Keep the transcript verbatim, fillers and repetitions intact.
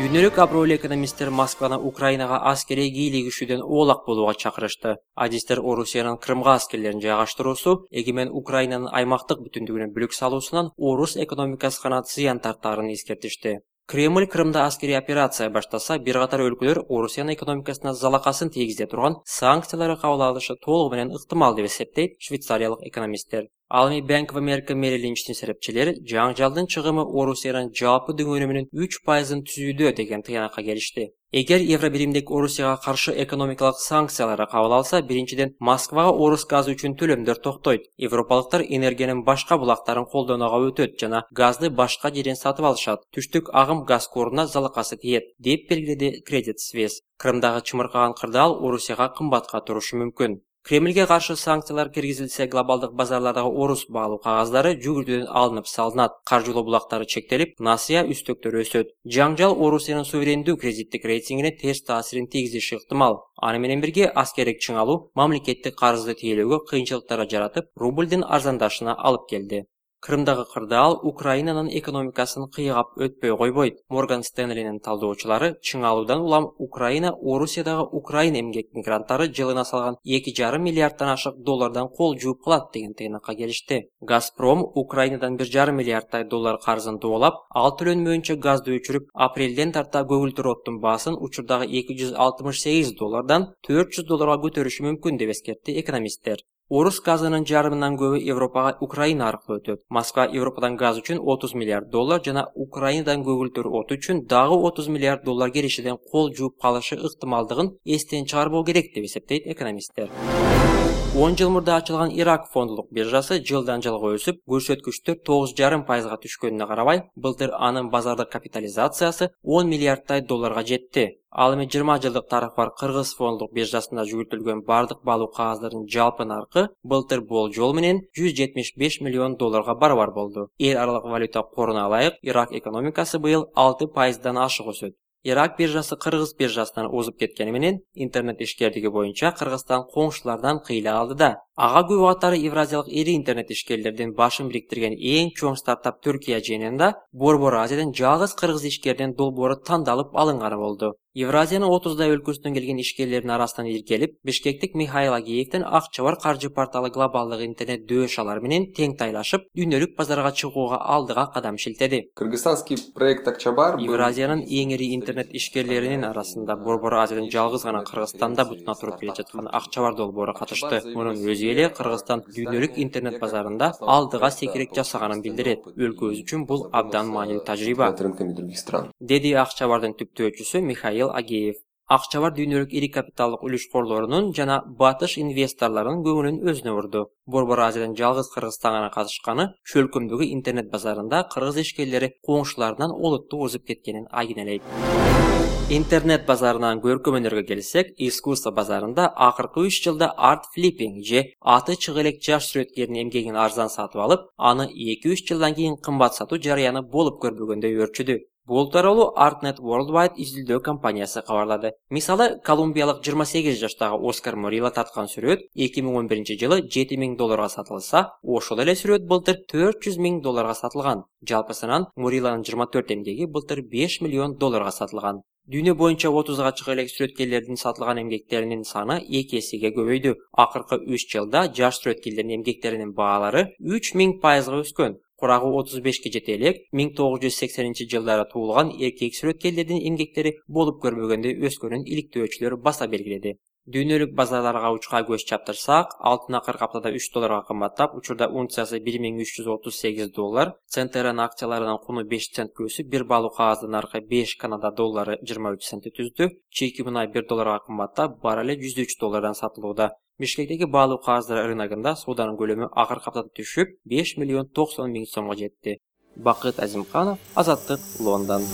Дүйнөлүк абройлуу экономисттер Москваны Украинага аскерий кийлигишүүдөн оолак болууга чакырышты. Адистер Орусиянын Крымга аскерлерин жайгаштыруусу эгемен Украинанын аймактык бүтүндүгүнө бүлүк салуусунан орус экономикасына зыян тартаарын эскертишти. Кремль Крымда аскерий операция баштаса, бир катар өлкөлөр Орусиянын экономикасына залакасын тийгизе турган санкцияларды кабыл алышы толугу менен ыктымал деп эсептейт швейцариялык экономисттер. Ал эми Bank of America Merrill Lynch'тин серепчилери жаңжалдын чыгымы Орусиянын жалпы дөңөнүмүнүн үч пайызын түзүүдө деген тыянакка келишти. Эгер Евробиримдик Орусияга каршы экономикалык санкцияларды кабыл алса, биринчиден Москвага орус газы үчүн төлөмдөр токтойт. Европалыктар энергиянын башка булактарын колдонууга өтөт жана газды башка жерден сатып алышат. Түштүк агым газ коруна залакасы тиет, деп белгиледи Credit Suisse. Крымдагы чымыркаган кырдаал Орусияга кымбатка турушу мүмкүн. Кремльге каршы санкциялар киргизилсе, глобалдык базарлардагы орус баалуу кагаздары жүгүртүүдөн алынып салынат, каржылоо булактары чектелип, насыя үстөктөрү өсөт. Жаңжал Орусиянын суверендүү кредиттик рейтингине терс таасирин тийгизиши ыктымал. Аны менен бирге аскердик чыңалуу мамлекеттик карызды тейлөөгө кыйынчылыктар жаратып, рубльдин арзандашына алып келди. Крымдагы кырдаал Украинанын экономикасын кыйгап өтпөй койбойт. Морган Стэнлинин талдоочулары чыңалуудан улам Украина Орусиядагы Украин эмгек мигранттары жылына салган эки жарым миллиарддан ашык доллардан кол жууп калат деген тыйнакка келишти. Газпром Украинадан бир жарым миллиарддай доллар карызын дубалап, ал төлөнмөйүнчө газды өчүрүп, апрелден тарта көгүлтүр оттун баасын учурдагы эки жүз алтымыш сегиз доллардан төрт жүз долларга көтөрүшү мүмкүн деп эскертти экономисттер. Орус газынын жарымынан көбү Европага Украина аркылуу өтөт. Москва Европадан газ үчүн отуз миллиард доллар жана Украинадан көгүлтүр от үчүн дагы отуз миллиард доллар келишиден кол жууп калышы ыктымалдыгын эстен чыгарбоо керек деп эсептейт экономисттер. он жыл мурда ачылган Ирак фондулук биржасы жылдан жылга өсүп, көрсөткүчтөр тогуз жарым пайызга түшкөнүнө карабай, былтыр анын базардык капитализациясы он миллиарддай долларга жетти. Ал эми жыйырма жылдык тарыхы бар Кыргыз фондулук биржасында жүгүртүлгөн бардык баалуу кагаздардын жалпы наркы былтыр болжол менен жүз жетимиш беш миллион долларга барабар болду. Эл аралык валюта коруна ылайык, Ирак экономикасы быйыл алты пайыздан ашык өсөт. Ирак биржасы Кыргыз биржасынан озуп кеткени менен интернет ишкердиги боюнча Кыргызстан коңшулардан кыйла алды да. Ага күбө катары Евразиялык ири интернет ишкерлердин башын бириктирген эң чоң стартап Түркия жыйынында Борбор Азиядан жалгыз кыргыз ишкердин долбоору тандалып алынганы болду. Евразиянын отуздай өлкөсүнөн келген ишкерлердин арасынан иркелип, Бишкектик Михаил Агеевдин Акчабар каржы порталы глобалдык интернет дөшалар менен тең тайлашып, дүйнөлүк базарга чыгууга алдыга кадам шилтеди. Кыргызстанский проект Акчабар Евразиянын эң ири интернет ишкерлеринин арасында Борбор Азиядан жалгыз гана Кыргызстанда бутуна туруп келе жаткан Акчабар долбоору катышты. Мунун өзү эле Кыргызстан дүйнөлүк интернет базарында алдыга секирек жасаганын билдирет. Өлкөбүз үчүн бул абдан маанилүү тажрыйба, деди Акчабардын түптөөчүсү Михаил Агеев. Акчабар дүйнөлүк ири капиталдык үлүшкорлорунун жана батыш инвесторлорунун көңүлүн өзүнө бурду. Борбор Азиядан жалгыз Кыргызстанга катышканы чөлкөмдөгү интернет базарында кыргыз ишкерлери коңшуларынан олуттуу озуп кеткенин айгинелейт. Интернет базарынан көркөмөнөргө келсек, искусство базарында акыркы үч жылда арт флиппинг же аты чыгы элек жаш сүрөткердин эмгегин арзан сатып алып, аны эки үч жылдан кийин кымбат сатуу жарыяны болуп көрбөгөндөй өрчүдү. Бул тууралуу Artnet Worldwide изилдөө компаниясы кабарлады. Мисалы, колумбиялык жыйырма сегиз жаштагы Оскар Мурилла тарткан сүрөт эки миң он биринчи жылы жети миң долларга сатылса, ошол эле сүрөт былтыр төрт жүз миң долларга сатылган. Жалпысынан Мурилланын жыйырма төрт эмгеги былтыр беш миллион долларга сатылган. Дүйнө боюнча отузга чыга элек сүрөткерлердин сатылган эмгектеринин саны эки эсеге көбөйдү. Акыркы үч жылда жаш сүрөткерлердин эмгектеринин баалары үч миң пайызга өскөн. Курагы отуз бешке жете элек миң тогуз жүз сексенинчи жылдары туулган эркек сүрөткерлердин эмгектери болуп көрбөгөндөй өскөнүн иликтөөчүлөр баса белгиледи. Дүйнөлүк базарларга учка көз чаптырсак, алтын акыркы аптада үч долларга кымбаттап, учурда унциясы бир миң үч жүз отуз сегиз доллар, Центеран акцияларынын куну беш центке өсүп, бир баалуу кагаздын наркы беш Канада доллары жыйырма үч центти түздү, чийки мунай бир долларга кымбаттап, баррели жүз үч доллардан сатылууда. Бишкектеги баалуу кагаздар рыногунда сооданын көлөмү акыркы аптада түшүп, беш миллион токсон миң сомго жетти. Бакыт Азимканов, Азаттык, Лондон.